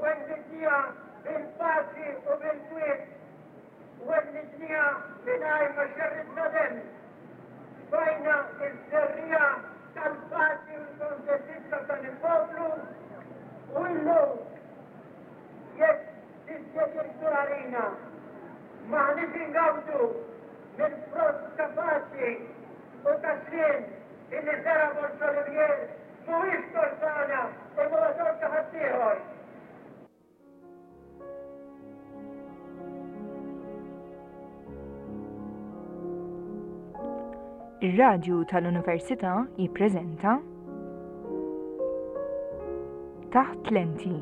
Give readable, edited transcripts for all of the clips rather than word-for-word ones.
Wellidniha bil-paċi u bil-kwiet. Wellidniha mingħajr ma xerridna demm. Tfajna ż-żerriegħa tal-paċi u l-kuntentizza f'dan il-poplu u illum jekk dispjaċir għalina m'aħniex ingawdu mill-frott ta' paċi u ta' sliem illi żera' Borg Olivier mhuwiex tort tagħna imma huwa tort ta' ħaddieħor. Ir-Radju tal-Università jippreżenta Taħt Lenti,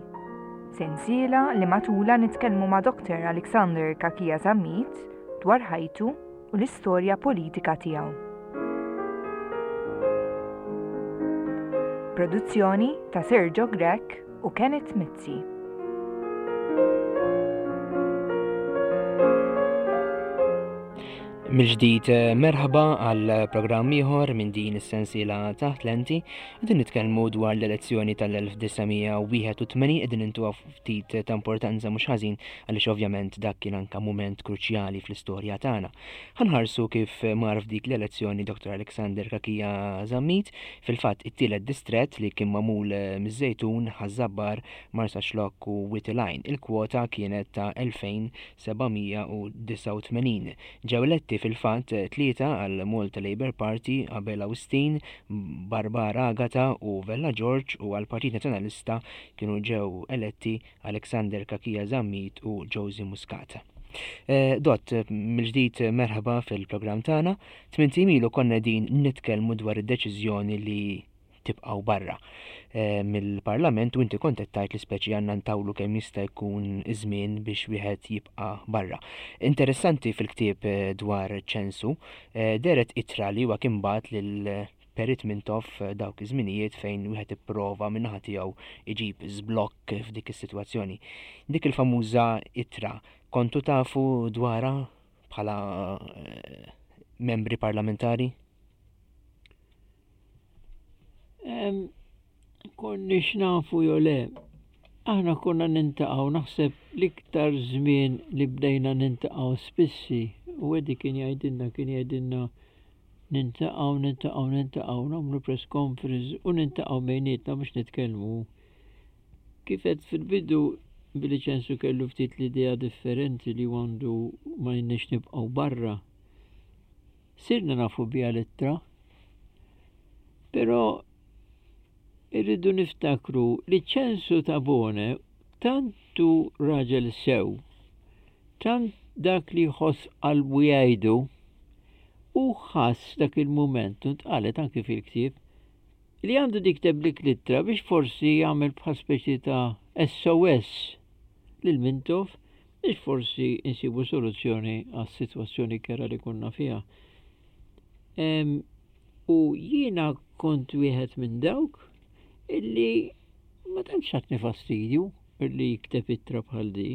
sensiela li matulha nitkellmu ma' Dr. Alexander Cachia Zammit dwar ħajtu u l-istorja politika tiegħu. Produzzjoni ta' Sergio Grech u Kenneth Mizzi. Mill-ġdid eh, merħba għal programm ieħor minn din is-sensiela taħt lenti. Qegħdin nitkellmu dwar l-elezzjoni tal-1981 qegħdin intuha ftit ta' importanza mhux ħażin għaliex ovvjament dak kien anka mument kruċjali fl-istorja tagħna. Ħanħarsu kif mar f'dik l-elezzjoni Dr. Alexander Cachia Zammit, fil-fatt it-tielet distrett li kien magħmul miż-Żejtun, Ħaż-Żabbar, Marsaxlokk u Wied il-Għajn. Il-kwota kienet ta' 2789. Ġew eletti fil-fatt tlieta għal Malta Labour Party, Abela Wistin, Barbara Agata u Vella George u għall-Partit Nazzjonalista kienu ġew eletti Alexander Cachia Zammit u Josie Muscat. Eh, Dott, mill-ġdid merħba fil-programm tagħna. Tmint ilu konna din nitkellmu dwar id-deċiżjoni li tibqgħu barra eh, mill-Parlament u inti kont qed tgħid li speċi għandna ntawlu kemm jista' jkun żmien biex wieħed jibqa' barra. Interessanti fil-ktieb eh, dwar ċensu, dehret ittra li huwa kien bagħat lil Perit Mintoff dawk iż-żminijiet fejn wieħed ipprova min-naħa tiegħu iġib żblokk f'dik is-sitwazzjoni. Dik il-famuża ittra kontu tafu dwarha bħala eh, membri parlamentari? Konniex nafu jew le. Aħna konna nintaqgħu naħseb l-iktar żmien li bdejna nintaqgħu spissi u Eddie kien jgħidilna kien jgħidilna Nintaqgħu, nintaqgħu, nintaqgħu, nagħmlu press conference u nintaqgħu bejnietna biex nitkellmu. Kif għedt fil-bidu, billi Ċensu kellu ftit l-idea differenti li għandu ma jniex nibqgħu barra. Sirna nafu biha l-ittra. Però irridu niftakru li Ċensu Tabone tant hu raġel sew, tant dak li jħoss qalbu jgħidu, Hu ħass dak il-mument, u ntqalet anki fil-ktieb, li għandu jikteb dik l-ittra biex forsi jagħmel bħal speċi ta' SOS lil Mintoff biex forsi insibu soluzzjoni għas-sitwazzjoni kera li konna fiha. U jiena kont wieħed minn dawk illi ma tantx tatni fastidju illi jikteb ittra bħal di.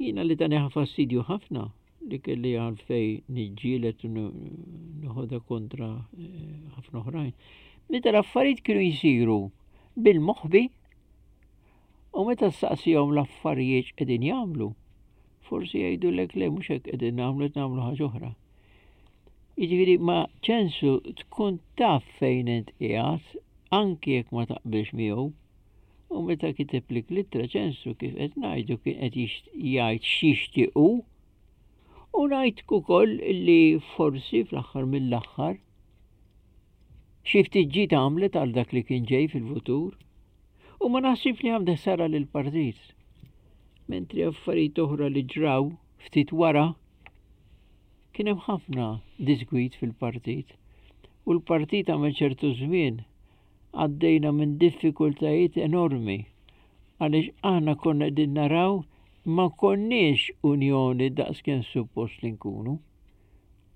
Jiena li tani fastidju ħafna li kelli għalfejn niġġieled u noħodha kontra eh, ħafna oħrajn. Meta l-affarijiet kienu jsiru bil-moħbi u meta saqsihom l-affarijiet qegħdin jagħmlu, forsi jgħidulek le mhux hekk qegħdin nagħmlu qed nagħmlu ħaġa oħra. Jiġifieri ma ċensu tkun taf fejn int qiegħed anki jekk ma taqbilx miegħu. U meta kiteb lik l-ittra ċensu kif qed ngħidu kien qed jgħid x'jixtieq hu. U ngħid ukoll li forsi fl-aħħar mill-aħħar xi ftit ġid għamlet għal dak li kien ġej fil-futur. U ma naħsibx li għamlet ħsara lill-partit. Mentri affarijiet oħra li ġraw ftit wara kien hemm ħafna disgwid fil-partit. U l-partit għamel ċertu żmien Għaddejna minn diffikultajiet enormi għaliex aħna konna qegħdin naraw ma konniex unjoni daqskemm suppost li nkunu.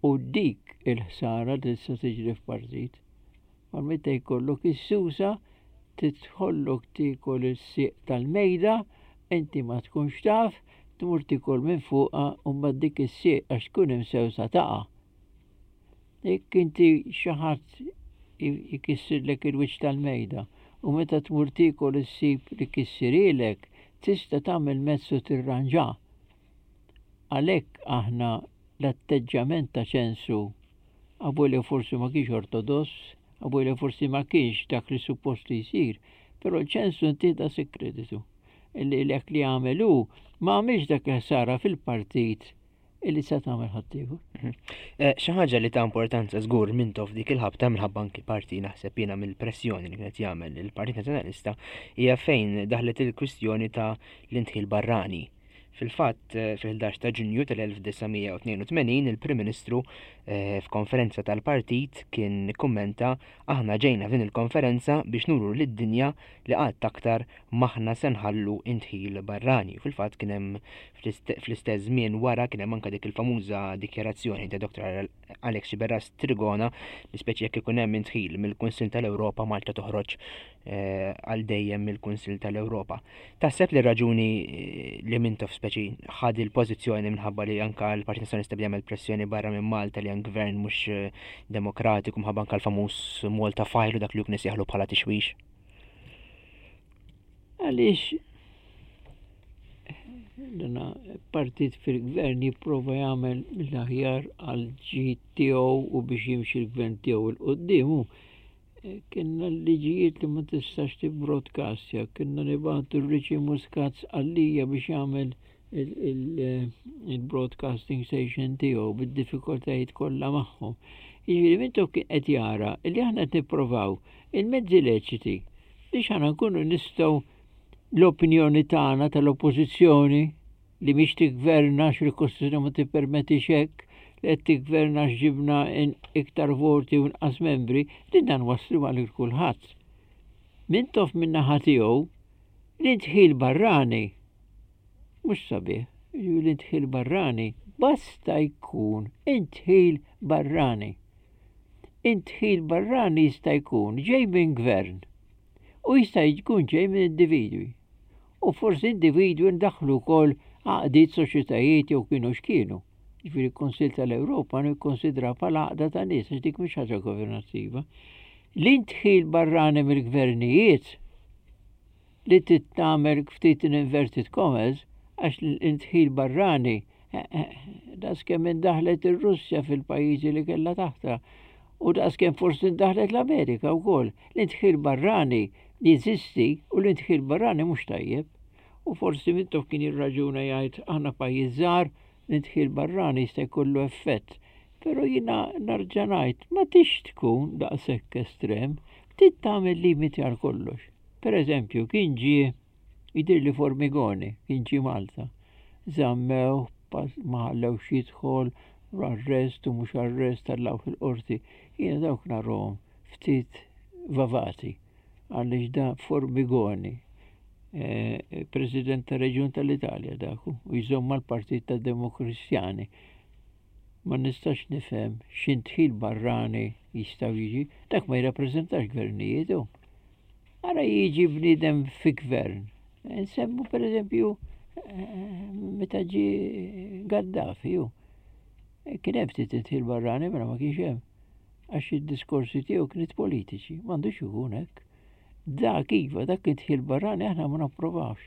U dik il-ħsara li tista' tiġri f'partit. Ma meta jkollok is-susa tidħollok tiekol is-sieq tal-mejda, inti ma tkunx taf, tmur tiekol minn fuqha u mbagħad dik is-sieq għax tkun imsewsa taqa'. Jekk inti xi ħadd jkissirlek il-wiċċ tal-mejda u meta tmur tiekol issib li kissirielek, Tista' tagħmel mezz u tirranġa. Għalhekk aħna l-atteġġjament ta' Ċensu avolja forsi ma kienx ortodoss, avolja forsi ma kienx dak li suppost li jsir, però Ċensu ntih daqshekk kreditu. Illi dak li għamel hu ma għamilx dak il-ħsara fil-partit illi sa tagħmel ħaddieħor. Mhm. Eh, xi ħaġa li ta' importanza żgur Mintoff dik il-ħabta minħabba anki parti naħseb jiena mill-pressjoni li kienet jagħmel il-Partit Nazzjonalista hija fejn daħlet il-kwistjoni ta' l-indħil barrani. Fil-fatt, eh, fil-11 ta' Ġunju tal-1982 il-Prim Ministru eh, f'konferenza tal-partit kien kummenta aħna ġejna f'din il-konferenza biex nuru lid-dinja li qatt aktar m'aħna se nħallu indħil barrani. Fil-fatt kien hemm fl-istess żmien wara kien hemm anke dik il-famuża dikjarazzjoni ta' Dr. Alex Sciberras Trigona li speċi jekk ikun hemm indħil mill-Kunsill tal-Ewropa Malta toħroġ eh, għal dejjem mill-Kunsill tal-Ewropa. Taħseb li raġuni eh, li Mintoff speċi ħad il-pożizzjoni minħabba li anka l-Partit Nazzjonalista bjagħmel pressjoni barra minn Malta li hemm gvern mhux eh, demokratiku minħabba anka l-famuż Malta File u dak li hu kien bħala tixwix? Għaliex dana partit fil-gvern jipprova jagħmel mill-aħjar għal ġid tiegħu u biex jimxi l-gvern tiegħu 'l quddiem. Eh, kienna liġijiet li ma tistax tibbroadcastja, kienna nibgħatu Richie Muscat għalija biex jagħmel il-broadcasting station tiegħu bid-diffikultajiet kollha magħhom. Jiġifieri Mintoff kien qed jara li aħna qed nipprovaw il-mezzi leċiti biex aħna nkunu nistgħu l-opinjoni tagħna tal-oppożizzjoni li mhix tiggverna għax il-Kostituzzjoni ma tippermettix hekk, li qed tiggverna għax ġibna iktar voti u inqas membri, li dan waslu għal kulħadd. Mintoff min-naħa tiegħu l-indħil barrani mhux sabiħ, jiġifieri l-indħil barrani basta jkun indħil barrani. Indħil barrani jista' jkun ġej minn gvern u jista' jkun ġej minn individwi. U forsi individwi ndaħħlu wkoll għaqdiet soċjetajiet jew kienu x'kienu. Ġifieri l-Kunsill tal-Ewropa nikkonsidra bħala għaqda ta' nies għax dik mhix ħaġa governattiva. L-indħil barrani mill-gvernijiet li trid tagħmel ftit in inverted commas għax l-indħil barrani eh, eh, daqskemm indaħlet ir-Russja fil-pajjiżi li kellha taħta u daqskemm forsi indaħlet l-Amerika wkoll. L-indħil barrani jeżisti u l-indħil barrani mhux tajjeb. U forsi Mintoff kien jirraġuna jgħid aħna pajjiż żgħar, l-indħil barrani jista' jkollu effett. Però jiena narġa' ngħid ma tix tkun daqshekk estrem, trid tagħmel limiti għal kollox. Per eżempju, kien ġie jidhirli Formigoni, kien ġie Malta. Żammew, ma ħallewx jidħol, arrest u mhux arrest tellgħuh il-qorti. Jiena dawk narahom ftit vavati għaliex da Formigoni, eh, President ta' Reġjun tal-Italja dak u jżomm mal-Partit tad Demokristjani. Ma nistax nifhem x'indħil barrani jistgħu jiġi, dak ma jirrappreżentax gvernijiet hu. Ara jiġi bniedem fi gvern. Nsemmu per eżempju eh, meta ġi Gaddafi hu. Eh, kien hemm ftit indħil barrani mela ma kienx hemm. Għax id-diskorsi tiegħu kienet politiċi, m'għandux ikun hekk. Dak iva, dak indħil barrani aħna ma napprovawx.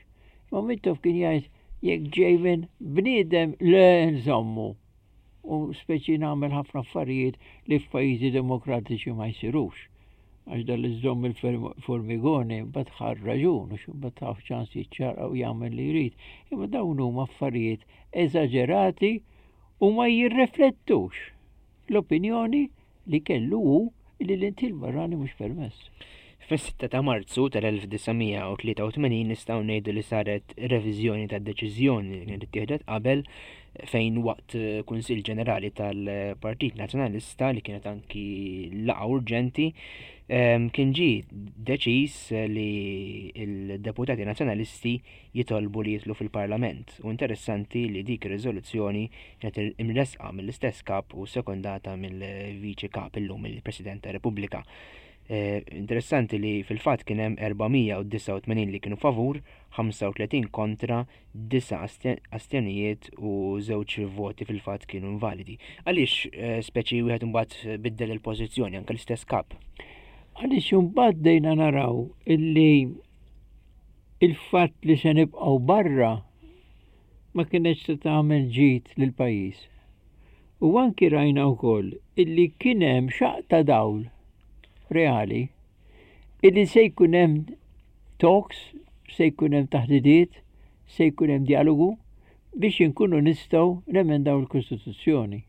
Imma Mintoff kien jgħid jekk ġej minn bniedem le nżommu. U speċi nagħmel ħafna affarijiet li f'pajjiżi demokratiċi ma jsirux. Għax dal iżomm il-formigoni mbagħad ħa raġun u mbagħad taf ċans jiċċarqa u jagħmel li jrid. Imma dawn huma affarijiet eżaġerati u ma jirriflettux l-opinjoni li kellu hu li l-intil barrani mhux permess. Fis-6 ta' Marzu tal-1983 nistgħu ngħidu li saret reviżjoni tad-deċiżjoni li kienet ittieħdet qabel fejn waqt Kunsill Ġenerali tal-Partit Nazzjonalista li kienet anki laqgħa urġenti ehm, kien ġie deċiż li l-deputati nazzjonalisti jitolbu li jidħlu fil-Parlament u interessanti li dik ir-riżoluzzjoni kienet imressqa mill-istess kap u sekondata mill-Viċi Kap illum il-President tar-Repubblika. Eh, interessanti li fil-fatt kien hemm 489 li kienu favur, 35 kontra, 9 astjonijiet u żewġ voti fil-fatt kienu invalidi. Għaliex eh, speċi wieħed imbagħad biddel il-pożizzjoni anke l-istess kap? Għaliex imbagħad dejna naraw illi. Il-fatt li se nibqgħu barra ma kinetx se tagħmel ġid lill-pajjiż. U anki rajna wkoll illi kien hemm xaqq ta' dawl reali illi se jkun hemm talks, se jkun hemm taħdidiet, se jkun hemm djalogu biex inkunu nistgħu nemendaw il-Kostituzzjoni.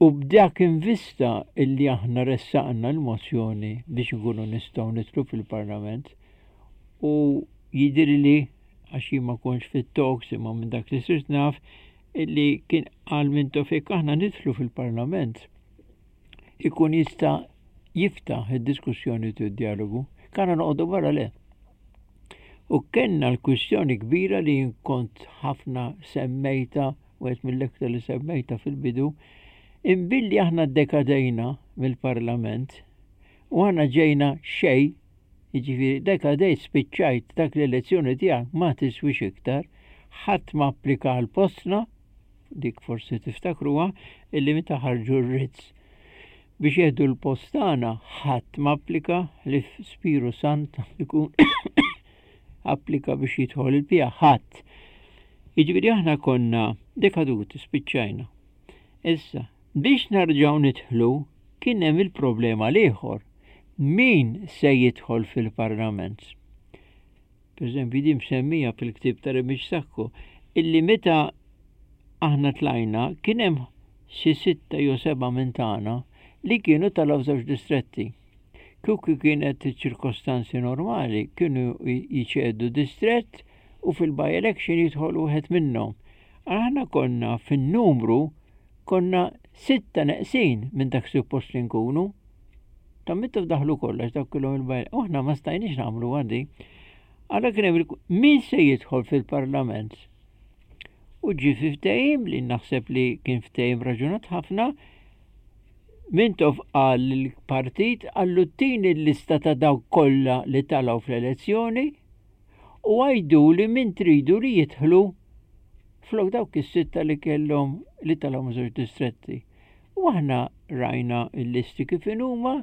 U b'dak in vista illi aħna ressaqna l-mozzjoni biex inkunu nistgħu nidħlu fil-Parlament u jidhirli għax jien ma kontx fit-talks imma minn dak li sirt naf illi kien qal Mintoff jekk aħna nidħlu fil-Parlament ikun jista' jiftaħ id-diskussjoni u d-dialogu. Kana noqogħdu barra le. U kellna l-kwistjoni kbira li jien kont ħafna semmejta wieħed mill-iktar li semmejta fil-bidu, imbilli aħna ddekadejna mill-Parlament u aħna ġejna xejn, jiġifieri dekadejt spiċċajt dak l-elezzjoni tiegħek ma tiswix iktar, ħadd ma applika għal postna, dik forsi tiftakruha, illi meta ħarġu r-writs biex jieħdu l-post tagħna ħadd ma applika li Spiru Sant ikun applika biex jidħol il-pija ħadd. Jiġifieri aħna konna dekaduti, spiċċajna. Issa, biex narġgħu nidħlu kien hemm il-problema l-ieħor. Min se jidħol fil-Parlament? Per eżempju, din msemmija fil-ktieb ta' Remix Sacco, illi meta aħna tlajna kien hemm xi sitta jew seba' minn tagħna li kienu talgħu f'żewġ distretti. Kieku kienet ċirkostanzi normali kienu jċedu distrett u fil-by election jidħol wieħed minnhom. Aħna konna fin-numru konna sitta neqsin minn dak suppost li nkunu. Ta' mittu daħlu kollox dak kellhom il-by u aħna ma stajniex nagħmlu għadi. Għala kien hemm min se jidħol fil-parlament? U ġie fi ftehim li naħseb li kien ftehim raġunat ħafna Mintoff qal lill-partit qallu tini l-lista ta' dawk kollha li talgħu fl-elezzjoni u għiduli min tridu li jidħlu flok dawk is-sitta li kellhom li talgħu minn żewġ distretti. U aħna rajna l-listi kif inhuma,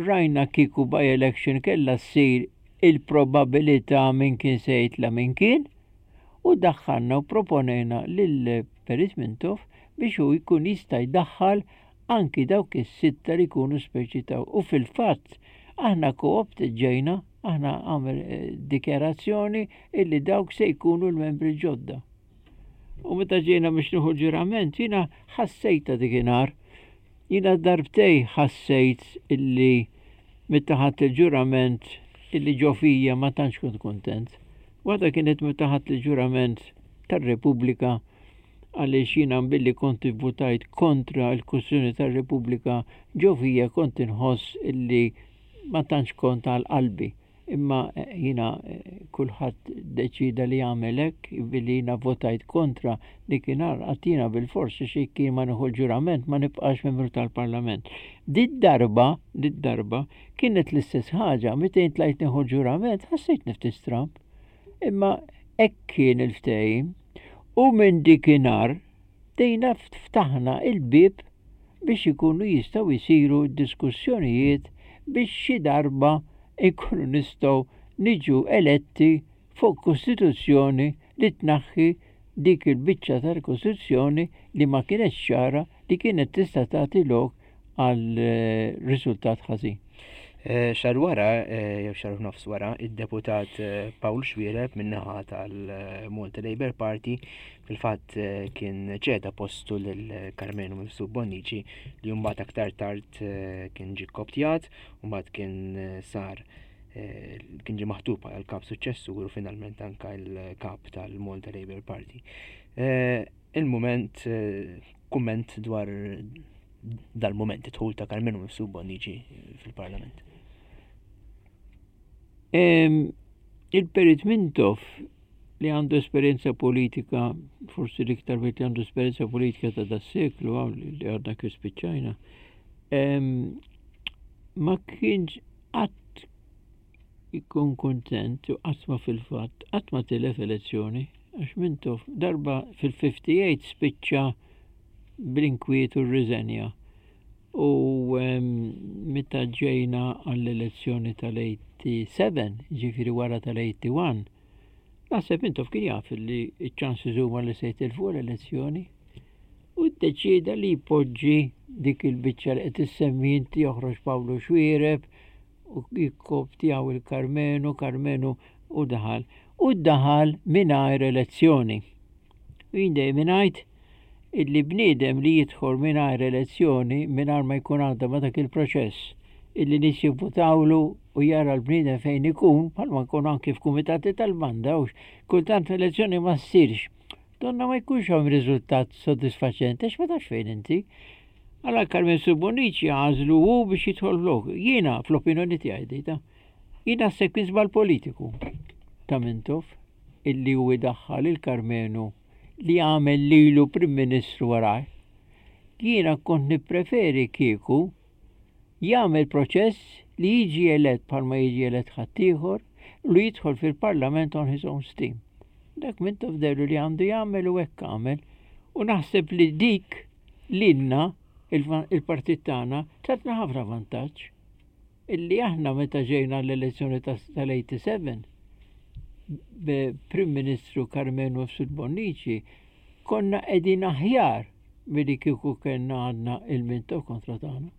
rajna kieku by election kellha ssir il-probabilità min kien se jitla' min kien u daħħalna u proponejna lil Perit Mintoff biex hu jkun jista' jdaħħal anki dawk is-sitta li jkunu speċi ta' u fil-fatt aħna co-opted ġejna, aħna għamel eh, dikjarazzjoni illi dawk se jkunu l-membri ġodda. U meta ġejna biex nieħu ġurament, jiena ħassejta dikinhar. Jiena darbtej ħassejt illi meta ħadt il-ġurament illi ġo fija ma tantx kont kuntent. Waħda kienet meta ħadt il-ġurament tar-Repubblika għaliex jiena billi kont ivvutajt kontra l-Kostituzzjoni tar-Repubblika ġo fija kont inħoss illi ma tantx kont għal qalbi. Imma eh, jiena eh, kulħadd deċida li jagħmel hekk billi jiena votajt kontra dikinhar qatt jiena bilfors xi kien ma nieħu l-ġurament ma nibqax membru tal-Parlament. Did darba, did darba kienet l-istess ħaġa, meta jien tlajt nieħu l-ġurament ħassejt nifti stramb. Imma hekk kien il-ftehim u minn dikinhar bdejna ftaħna il-bieb biex ikunu jistgħu jsiru d-diskussjonijiet biex xi darba nkunu nistgħu niġu eletti fuq Kostituzzjoni li tnaħħi dik il-biċċa tal-Kostituzzjoni li ma kinetx ċara li kienet tista' tagħti lok għal eh, riżultat ħażin. Eh, xahar wara, eh, jew xahar nofs wara, id-deputat Paul Xuereb min-naħa tal-Malta Labour Party fil-fatt kien ċeda postu lil Karmenu Mifsud Bonnici li mbagħad aktar tard kien ġie koptjat u mbagħad kien sar kien ġie maħtub bħala l-kap suċċessur u finalment anka l-kap tal-Malta Labour Party. Il-mument kumment dwar dal-mument id-dħul ta' Karmenu Mifsud Bonnici fil-Parlament. Il-Perit Mintoff li għandu esperjenza politika, forsi l-iktar wieħed li għandu esperjenza politika ta' das-seklu li għadna kif spiċċajna, ma kienx qatt ikun kuntent u qatt ma fil-fatt qatt ma tilef elezzjoni għax Mintoff darba fil-58 spiċċa bl-inkwiet u rriżenja. U meta ġejna għall-elezzjoni tal-87, ġifieri wara tal-81, naħseb Mintoff kien jaf li ċ-ċansi huma li se jitilfu l-elezzjoni u ddeċieda li jpoġġi dik il-biċċa li qed issemmi inti joħroġ Pawlu Xuereb u jikkoptjaw il-Karmenu, Karmenu u daħal. U daħal mingħajr elezzjoni. U jien dejjem ngħid illi bniedem li jidħol mingħajr elezzjoni, mingħajr ma jkun għadda ma dak il-proċess, illi nies jivvutawlu u jara l-bniedem fejn ikun, bħalma nkun anki f'kumitati tal-banda, u kultant elezzjoni ma ssirx. Donna ma jkunx hawn riżultat sodisfaċenti għax ma tafx fejn inti. Għala Carmen Subonici għażlu hu biex jidħol flok. Jiena fl-opinjoni tiegħi dita, jiena naħseb kien żball politiku ta' Mintoff illi hu idaħħal il-Karmenu li għamel lilu Prim Ministru warajh. Jiena kont nippreferi kieku jagħmel proċess li jiġi elett bħalma jiġi elett ħaddieħor u li jidħol fil-Parlament on his own steam. Dak Mintoff dehru li għandu jagħmel u hekk għamel. U naħseb li dik lilna il-partit tagħna tatna ħafna vantaġġ. Illi aħna meta ġejna l-elezzjoni tal-87 b'Prim Ministru Karmenu Mifsud Bonnici konna qegħdin aħjar milli kieku kellna għadna il-Mintoff kontra tagħna.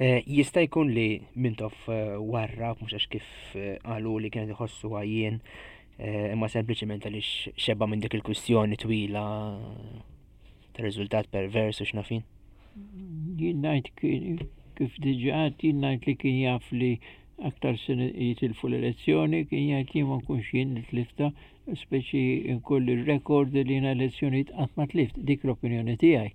Eh, jista' jkun li Mintoff eh, warrab mhux għax kif eh, qalu li kienet iħossu għajjien imma sempliċement għaliex xeba minn dik il-kwistjoni twila ta' riżultat pervers u x'nafin. Jien ngħid kif diġà jien ngħid li kien jaf li aktar se jitilfu l-elezzjoni, kien jgħid li ma nkunx jien li tlifta, speċi nkolli r-rekord li jiena elezzjonijiet qatt ma tlift, dik l-opinjoni tiegħi.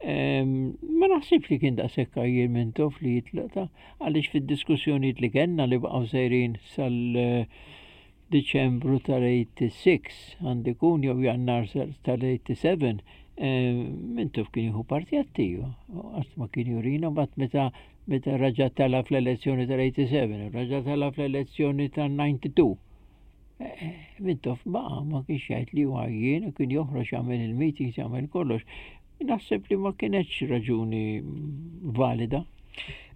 Ma naħsibx li kien daqshekk għajjien Mintoff li jitlaq ta' għaliex fid-diskussjonijiet li kellna li baqgħu sejrin sal Diċembru tal-86 għandu jkun jew Jannar tal-87 Mintoff kien jieħu parti attiva, qatt ma kien jurina mbagħad meta meta raġa' tela' fl-elezzjoni tal-87, raġa' tela' fl-elezzjoni tal-92. Mintoff baqa' ma kienx jgħid li huwa jien, kien joħroġ jagħmel il-meetings, jagħmel kollox. Naħseb li ma kienetx raġuni valida.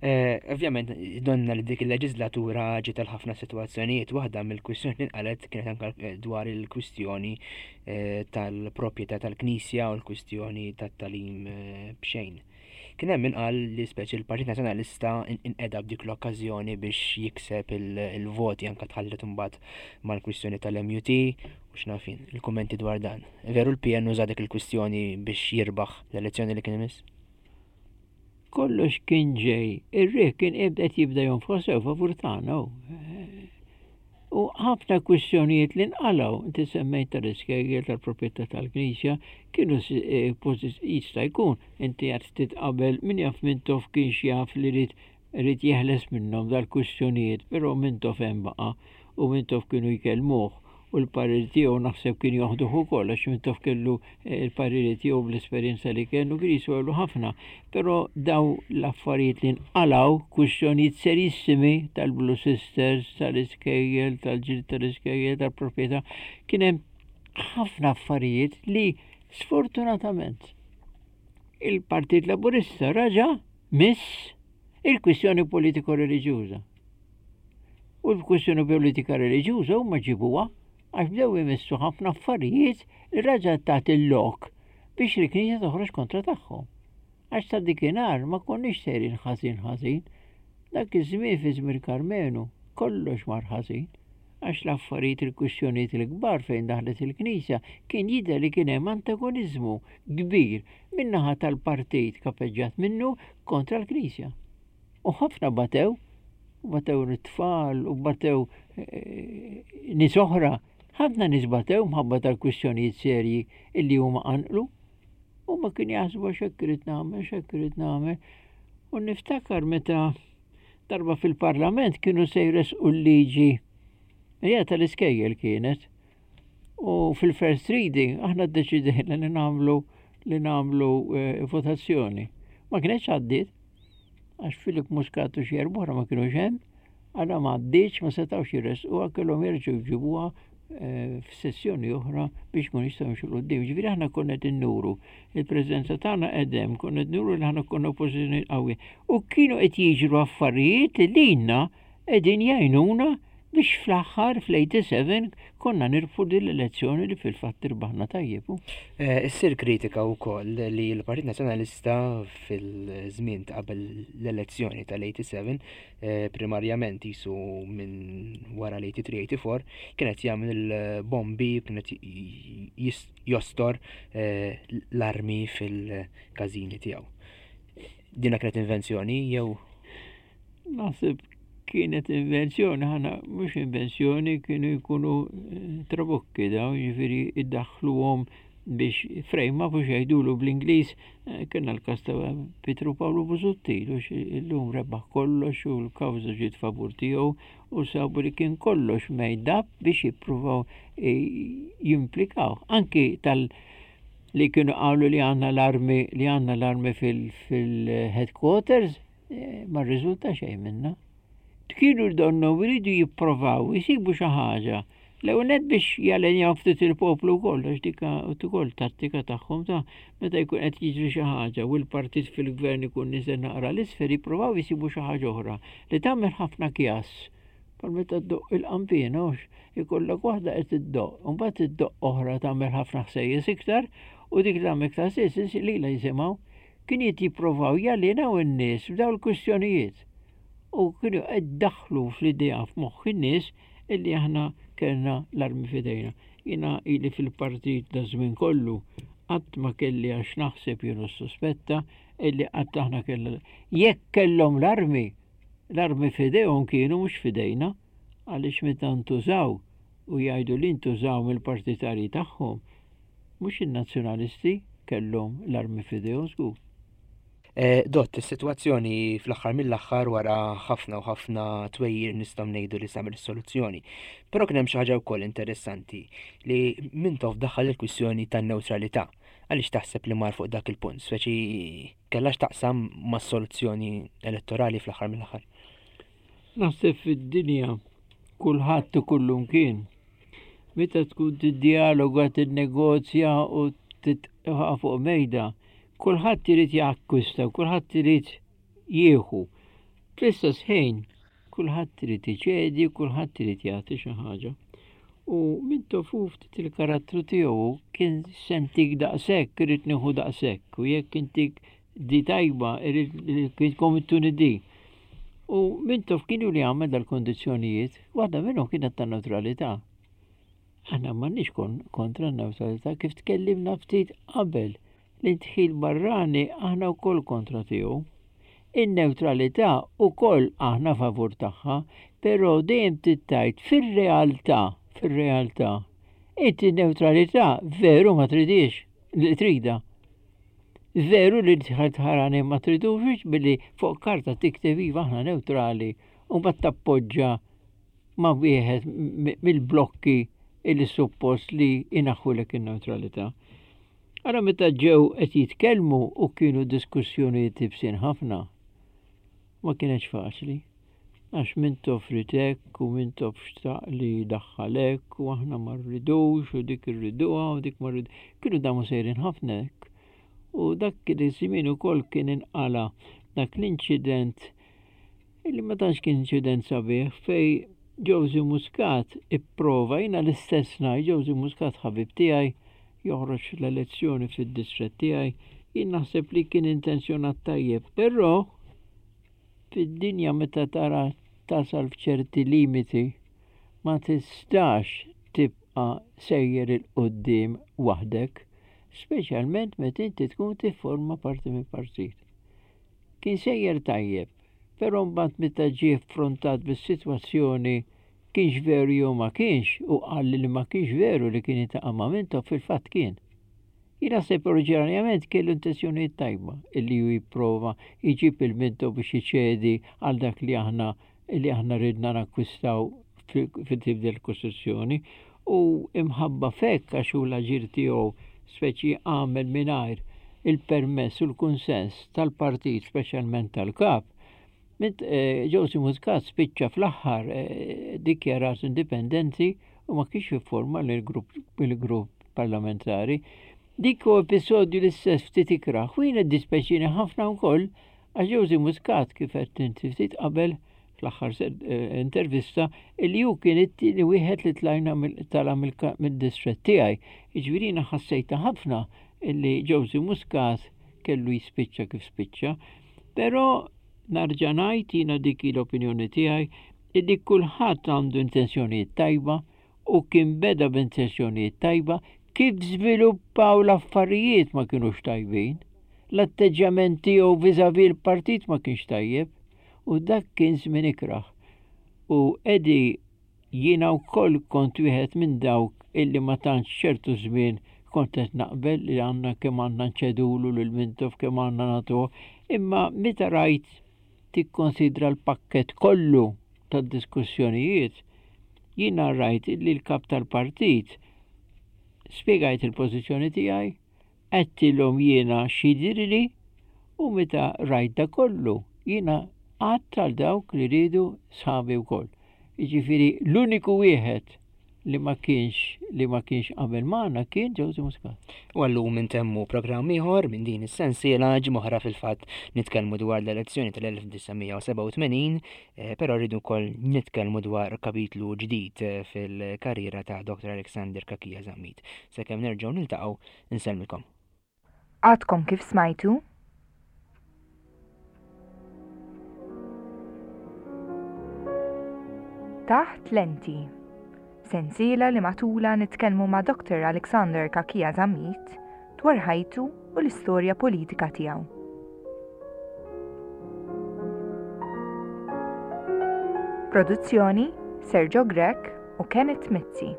Eh, ovvjament, donna li dik il-leġislatura ġiet għal ħafna situazzjonijiet, waħda mill-kwistjoni li nqalet kienet anke eh, dwar il-kwistjoni eh, tal-proprjetà tal-Knisja u l-kwistjoni tat-talim b'xejn. Kien hemm min qal li speċi l-Partit Nazzjonalista inqeda b'dik l-okkażjoni biex jikseb il-voti anke tħallet imbagħad mal-kwistjoni tal-MUT u x'naf jien, il-kummenti dwar dan. Veru l-PN uża dik il-kwistjoni biex jirbaħ l-elezzjoni li kien imiss? Kollox kien ġej, ir-riħ kien qed jibda jonfoħ sew favur tagħna. U ħafna kwistjonijiet li nqalgħu, inti semmejt tal-iskejjel tal-proprjetà tal-Knisja, kienu eh, jista' jkun inti għad ftit qabel min jaf Mintoff kienx jaf li rid Ried jeħles minnhom dal-kwistjonijiet, però Mintoff hemm baqa' u Mintoff kienu jkellmuh u l-parir tiegħu naħseb kien joħduh ukoll għax Mintoff kellu eh, l-pariri tiegħu bl-esperjenza li kellu kien jiswelu ħafna. Però daw l-affarijiet li nqalgħu kwistjonijiet serissimi tal-Blue Sisters, tal-iskejjel, tal-ġrid tal-iskejjel, tal-proprjetà, kien hemm ħafna affarijiet li sfortunatament il-Partit Laburista raġa' miss il-kwistjoni politiko-reliġjuża. U l-kwistjoni politika reliġjuża huma ġibuha għax bdew imissu ħafna affarijiet li raġa' tat il-lok biex il-Knisja toħroġ kontra tagħhom. Għax ta' dikinhar ma konniex sejrin ħażin ħażin. Dak iż-żmien fi żmien Karmenu kollox mar ħażin għax l-affarijiet il-kwistjonijiet il-kbar fejn daħlet il-Knisja kien jidher li kien hemm antagoniżmu kbir min-naħa tal-partit kapeġġat minnu kontra l-Knisja. U ħafna batew, u batew it-tfal, u batew eh, nies oħra, ħafna nies batew mħabba tal-kwistjonijiet serji illi huma qanqlu. U ma kien jaħsbu x'hekk irid nagħmel, x'hekk irid nagħmel. U niftakar meta darba fil-parlament kienu se jresqu l-liġi hija tal-iskejjel kienet U fil-first reading aħna ddeċidejna li nagħmlu li nagħmlu eh, votazzjoni. Ma kienx għaddiet għax Filip Muscat u xi erbohra ma kienux hemm, għadha ma għaddietx ma setgħux jressquha kellhom jerġgħu jġibuha f'sessjoni oħra biex kun jistgħu jimxu l-qudiem. Ġifieri aħna konna qed innuru il-preżenza tagħna qedem, konna qed nuru li aħna konna oppożizzjoni qawwi. U kienu qed jiġru affarijiet li lilna qegħdin jgħinuna biex fl-aħħar fl-87 konna nirbħu din l-elezzjoni li fil-fatt irbaħna tajjeb. Eh, issir kritika wkoll li l-Partit Nazzjonalista fil-żmien ta' qabel l-elezzjoni tal-87 eh, primarjament jisu minn wara l-83-84 kien qed jagħmel il-bombi, kien qed jostor eh, l-armi fil-każini tiegħu. Dina kienet invenzjoni jew Naħseb kienet invenzjoni, ħana mhux invenzjoni, kienu jkunu eh, trabokki daw, jiġifieri iddaħħluhom biex frame up u xejdulu bl-Ingliż, eh, kien l-każ ta' Pietru Pawlu Busuttil, u illum rebaħ kollox u l-kawża ġiet favur tiegħu u sabu li kien kollox made up biex jippruvaw eh, jimplikaw. Anki tal- li kienu qalu li għandna l-armi li għandna l-armi fil-headquarters, Eh, ma rriżulta xejn minna. Kienu donnu jridu jipprovaw jisibu xi ħaġa. L-ewwel nett biex jalenjaw ftit il-poplu wkoll għax dik ukoll tattika tagħhom ta' meta jkun qed jiġri xi ħaġa u l-partit fil-gvern ikun niżel naqra l-isfel jippruvaw jisibu xi ħaġa oħra li tagħmel ħafna kjass. Bħal meta ddoqq il-qanpiena hux ikollok waħda qed iddoqq, u mbagħad iddoqq oħra tagħmel ħafna ħsejjes iktar u dik li tagħmel iktar ħsejjes lilha jisimgħu. Kienu qed jipprovaw jalienaw in-nies b'dawn il-kwistjonijiet u kienu qed daħlu fl-idea f'moħħ in-nies illi aħna kellna l-armi f'idejna. Jiena ili fil-partit da żmien kollu qatt ma kelli għax naħseb jew nissuspetta illi qatt aħna kellna. Jekk kellhom l-armi, l-armi f'idejhom kienu mhux f'idejna għaliex meta ntużaw u jgħidu li ntużaw mill-partitarji tagħhom, Mhux in-Nazzjonalisti kellhom l-armi f'idejhom żgur. Eh, Dott, is-sitwazzjoni fl-aħħar mill-aħħar wara ħafna u ħafna twejjir nistgħu ngħidu li samet is-soluzzjoni. Però kien hemm xi ħaġa wkoll interessanti li Mintoff daħħal il-kwistjoni tan-newtralità. Għaliex taħseb li mar fuq dak il-punt, speċi kellha x'taqsam mas-soluzzjoni elettorali fl-aħħar mill-aħħar? Naħseb fid-dinja kulħadd u kullumkien Meta tkun tiddialoga, tinnegozja u titqa' fuq mejda, kulħadd irid jakkwista, kulħadd irid jieħu. Fl-istess ħin, kulħadd irid iċedi, kulħadd irid jagħti xi ħaġa. U min tofu ftit il-karattru tiegħu kien sentik daqshekk, irid nieħu daqshekk, u jekk intik di tajba, irid kitkom ittuni di. U Mintoff kienu li għamel dal-kondizzjonijiet, waħda minnhom kienet ta' neutralità. Aħna m'għandniex kontra n-neutralità kif tkellimna ftit qabel l-indħil barrani aħna wkoll kontra tiegħu. In-neutralità wkoll aħna favur tagħha, però dejjem tittajt fir-realtà, fir-realtà. Inti n-neutralità veru ma tridix, li trida. Veru li tħarani ma tridux billi fuq karta tikteb iva aħna neutrali u mbagħad tappoġġa ma' wieħed mill-blokki illi suppost li inaħħulek in-neutralità. Ara meta ġew qed jitkellmu u kienu diskussjonijiet ibsin ħafna. Ma kienx faċli. Għax Mintoff ried hekk u Mintoff xtaq li jdaħħal hekk u aħna ma rridux u dik irriduha u dik ma rridu. Kienu damu sejrin ħafna hekk. U dak iż-żmien ukoll kien inqala dak l-inċident illi ma tantx kien inċident sabiħ fej Josie Muscat ipprova jiena l-istess ngħid Josie Muscat ħabib tiegħi joħroġ l-elezzjoni fid-distrett tiegħi jien naħseb li kien intenzjonat tajjeb, però Fid-dinja meta tara tasal f'ċerti limiti ma tistax tibqa' sejjer 'il quddiem waħdek, speċjalment meta inti tkun tifforma parti minn partit. Kien sejjer tajjeb, però mbagħad meta ġie affrontat bis-sitwazzjoni kienx veru jew ma kienx u qal li ma kienx veru li kien iltaqa' ma' Mintoff fil-fatt kien. Jien naħseb oriġinarjament kellu intenzjonijiet tajba illi hu jipprova jġib il-Mintoff biex iċedi għal dak li aħna li aħna ridna nakkwistaw fit-tibdil kostituzzjoni u imħabba f'hekk għax hu l-aġir tiegħu speċi għamel mingħajr il-permess u l-kunsens tal-partit speċjalment tal-kap. Mint eh, Josie Muscat spiċċa fl-aħħar eh, dikjarat indipendenti. U ma kienx jifforma l-grupp parlamentari. Dik hu episodju l-istess ftit ikrah u jiena ddispeċini ħafna wkoll għax Josie Muscat kif għedt inti ftit qabel fl-aħħar eh, intervista illi hu kien it-tieni wieħed li tlajna tala mid-distrett tiegħi. Jiġifieri jiena ħassejta ħafna illi Josie Muscat kellu jispiċċa kif spiċċa. Però narġa' ngħid jiena dik l-opinjoni tiegħi illi kulħadd għandu intenzjonijiet tajba u kien beda b'intenzjonijiet tajba, kif żviluppaw l-affarijiet ma kinux tajbin. L-atteġġjament tiegħu vis-à-vis l-partit ma kienx tajjeb u dak kien żmien ikrah. U Eddie jiena wkoll kont wieħed minn dawk illi ma tantx ċertu żmien kont qed naqbel li għandna kemm għandna nċedulu lil Mintoff kemm għandna nagħtuh, imma meta rajt tikkonsidra l-pakkett kollu tad-diskussjonijiet, jiena rajt li l-kap tal-partit spjegajt il-pożizzjoni tiegħi, għedtilhom jiena x'jidhirli u meta rajt da kollu jiena għadt għal dawk li riedu sħabi wkoll. Jiġifieri l-uniku wieħed li ma kienx li ma kienx qabel magħna kien Joseph Muscat. U għallum intemmu programm ieħor minn din is-sensiela ġimgħa fil-fatt nitkellmu dwar l-elezzjoni tal-1987, eh, però rridu wkoll nitkellmu dwar kapitlu ġdid eh, fil-karriera ta' Dr. Alexander Kakija Zammit. Sakemm nerġgħu niltaqgħu insellmilkom. Għadkom kif smajtu? Taħt Lenti. Sensiela li matula nitkellmu ma' Dr. Alexander Kakia Zammit dwar ħajtu u l-istorja politika tiegħu. Produzzjoni Sergio Grech u Kenneth Mizzi.